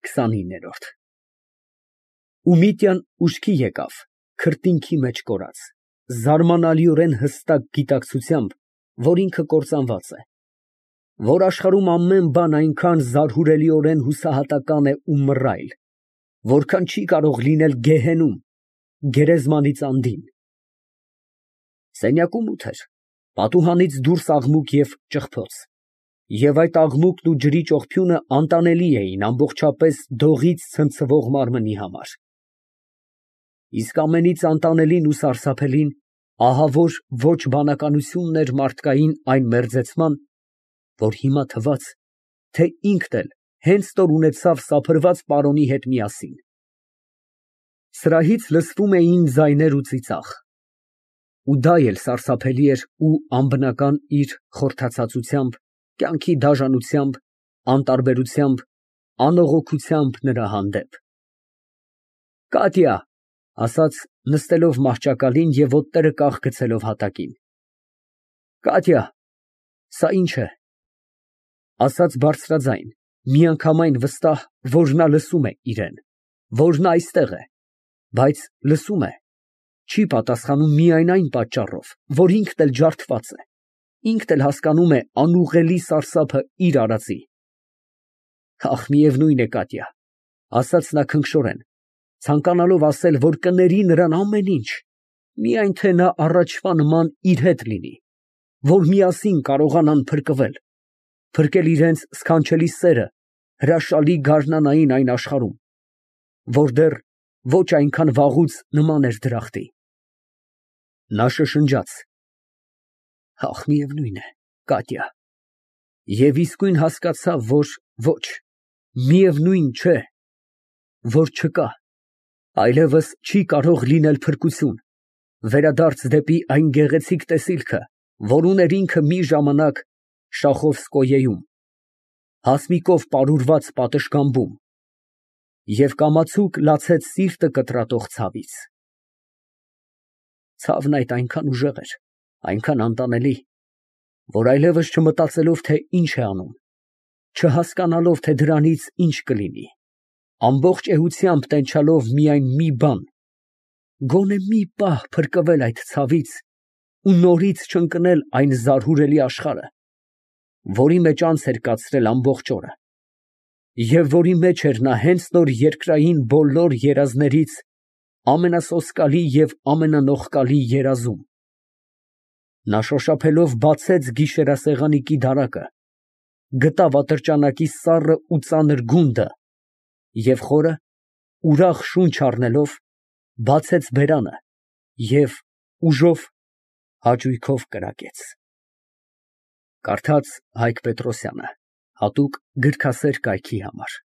29։ Ումիտյան ուշքի եկավ, քրտինքի մեջ կորած, զարմանալիորեն հստակ գիտակցությամբ, որ ինքը կործանված է, որ աշխարհում ամեն բան այնքան զարհուրելիորեն հուսահատական է ու մռայլ, որքան չի կարող լինել գեհենում, գերեզմանից անդին։ Սենյակում մութ էր, պատուհանից դուրս աղմուկ և ճղփոց, և այդ աղմուկն ու ջրի ճողփյունը անտանելի էին ամբողջապես դողից ցնցվող մարմնի համար։ Իսկ ամենից անտանելին ու սարսափելին ահավոր ոչ բանականությունն էր մարդկային այն մերձեցման, որ հիմա թվաց, թե ինքն էլ հենց նոր ունեցավ սափրված պարոնի հետ միասին։ Սրահից լսվում էին ձայներ ու ծիծաղ, ու դա էլ սարսափելի էր ու անբնական իր խորթացածությամբ, կյանքի դաժանությամբ, անտարբերությամբ, անողոքությամբ նրա հանդեպ։ ֊ Կատյա, ֊ ասաց նստելով մահճակալին և ոտները կախ գցելով հատակին։ ֊ Կատյա, սա ի՞նչ է, ֊ ասաց բարձրաձայն, միանգամայն վստահ, որ նա լսում է իրան, որ նա այստեղ է, բայց լսում է, չի պատասխանում միայն այն պատճառով, որ ինքն էլ ջարդված է, ինքն էլ հասկանում է անուղղելի սարսափը իր արածի։ Ախ, միևնույն է, Կատյա, ֊ ասաց նա քնքշորեն, ցանկանալով ասել, որ կների նրան ամեն ինչ, միայն թե նա առաջվա նման իր հետ լինի, որ միասին կարողանան փրկվել, փրկել իրենց սքանչելի սերը հրաշալի գարնանային այն աշխարհում, որ դեռ ոչ այնքան վաղուց նման էր դրախտի։ Նա շշնջաց. ախ, միևնույն է, Կատյա, և իսկույն հասկացավ, որ ոչ, միևնույն չէ, որ չկա, այլևս չի կարող լինել փրկություն, վերադարձ դեպի այն գեղեցիկ տեսիլքը, որ ուներ ինքը մի ժամանակ Շախովսկոյեում, հասմիկով պարուրված պատշգամբում, և կամացուկ լացեց սիրտը կտրատող ցավից։ Ցավն այդ այնքան ուժեղ էր, այնքան անտանելի, որ այլևս չմտածելով, թե ինչ է անում, չհասկանալով, թե դրանից ինչ կլինի, ամբողջ էությամբ տենչալով միայն մի բան, գոնե մի պահ փրկվել այդ ցավից ու նորից չընկնել այն զարհուրելի աշխարհը, որի մեջ անց էր կացրել ամբողջ օրը, և որի մեջ էր նա հենց նոր երկրային բոլոր երազներից ամենասոսկալի և ամենանողկալի երազում։ Նա շոշափելով բացեց գիշերասեղանիկի դարակը, գտավ ատրճանակի սառը ու ծանր գունդը և խորը, ուրախ շունչ առնելով, բացեց բերանը և ուժով, հաճույքով կրակեց։ Կարդաց Հայկ Պետրոսյանը, հատուկ գրքասեր կայքի համար։